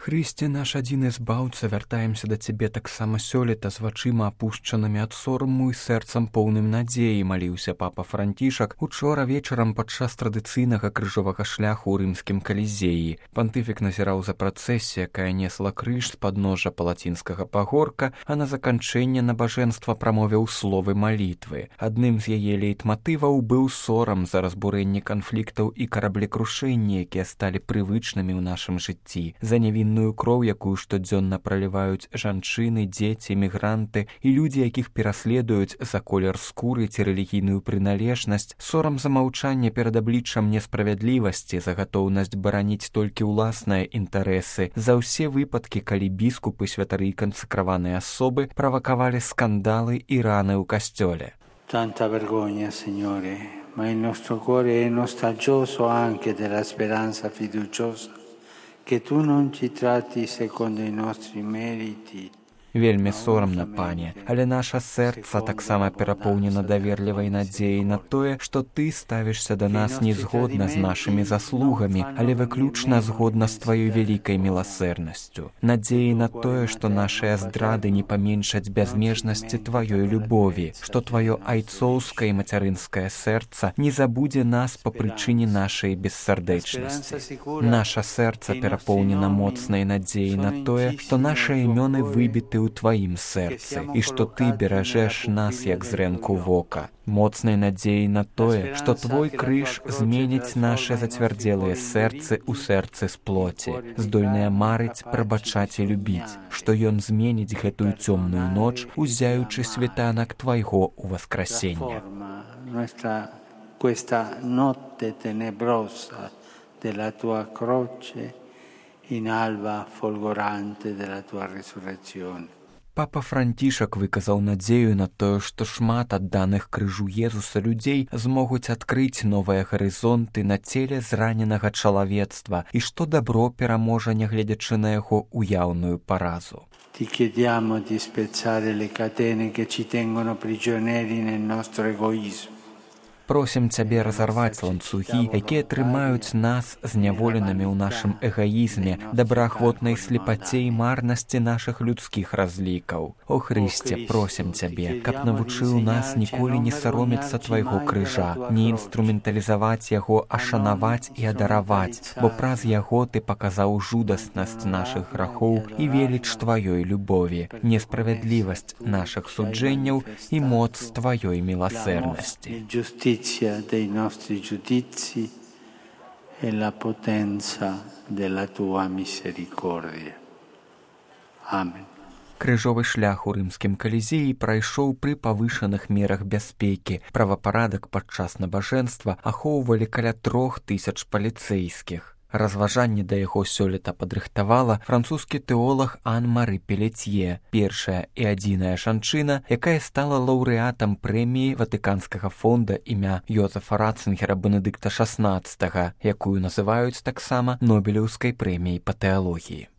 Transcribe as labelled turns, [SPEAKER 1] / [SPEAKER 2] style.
[SPEAKER 1] Хрысце наш адзіны збаўца, вяртаемся да цябе таксама сёлета з вачыма апушчанымі ад сораму і сэрцам поўным надзеі, маліўся папа Францішак учора вечарам падчас традыцыйнага крыжовага шляху ў рымскім калізеі. Пантыфік назіраў за працэсіяй, якая несла крыж з падножжа палацінскага пагорка, а на заканчэнне набажэнства прамовіў словы малітвы. Адным з яе лейтматываў быў сорам за разбурэнне канфліктаў і караблекрушэнні, якія сталі прывычнымі ў нашым жыцці, за невінную кроў, якую штодзённа праліваюць жанчыны, дзеці, мігранты і людзі, якіх пераследуюць за колер скуры ці рэлігійную прыналежнасць, сорам за маўчанне перад абліччам несправядлівасці, за гатоўнасць бараніць толькі ўласныя інтарэсы, за ўсе выпадкі, калі біскупы, святары і кансакраваныя асобы правакавалі скандалы і раны ў касцёле.
[SPEAKER 2] Tanta vergogna, Signore, ma il nostro cuore è nostalgioso anche della speranza fiduciosa che tu non ci tratti secondo i nostri meriti.
[SPEAKER 1] Вельмі сорамна, пане, але наша сэрца таксама перапоўнена даверлівай надзеяй на тое, што ты ставішся да нас не згодна з нашымі заслугамі, але выключна згодна з тваёй вялікай міласэрнасцю. Надзеяй на тое, што нашыя здрады не паменшаць бязмежнасці тваёй любові, што тваё айцоўскае і мацярынскае сэрца не забудзе нас па прычыне нашай бессардэчнасці. Наша сэрца перапоўнена моцнай надзеяй на тое, што нашы імёны выбіты ў тваім сэрцы, і што ты беражэш нас, як зрэнку вока. Моцнай надзеяй на тое, што твой крыж зменіць нашы зацвярдзелыя сэрцы ў сэрцы з плоці, здольныя марыць, прабачаць і любіць, што ён зменіць гэтую цёмную ноч, узяючы світанак твайго ўваскрасення.
[SPEAKER 2] Questa notte tenebrosa della tua croce in alba folgorante della tua resurrezione.
[SPEAKER 1] Папа Францішак выказаў надзею на тое, што шмат адданых крыжу Езуса людзей змогуць адкрыць новыя гарызонты на целе зраненага чалавецтва і што дабро пераможа, нягледзячы на яго уяўную паразу.
[SPEAKER 2] Ti chiediamo di spezzare le catene che ci tengono prigionieri nel nostro egoismo.
[SPEAKER 1] Просім цябе разарваць ланцугі, якія трымаюць нас зняволенымі ў нашым эгаізме, добраахвотнай слепаце і марнасці нашых людскіх разлікаў. О Хрысце, просім цябе, каб навучыў нас ніколі не саромецца твайго крыжа, не інструменталізаваць яго, а шанаваць і адараваць, бо праз яго ты паказаў жудаснасць нашых грахоў і веліч тваёй любові, несправядлівасць нашых суджэнняў і моц тваёй міласэрнасці.
[SPEAKER 2] Dei nostri giudizi e la potenza della tua misericordia. Amen.
[SPEAKER 1] Крыжовы шлях у рымскім калізеі прайшоў пры павышаных мерах бяспекі. Правапарадак падчас набажэнства ахоўвалі каля 3000 паліцэйскіх. Разважанне да яго сёлета падрыхтавала французскі тэолаг Ан-Мары Пелецье, першая і адзіная жанчына, якая стала лаўрэатам прэміі Ватыканскага фонда імя Йозефа Ратцынгера Бенедыкта XVI, якую называюць таксама Нобелеўскай прэміяй па тэалогіі.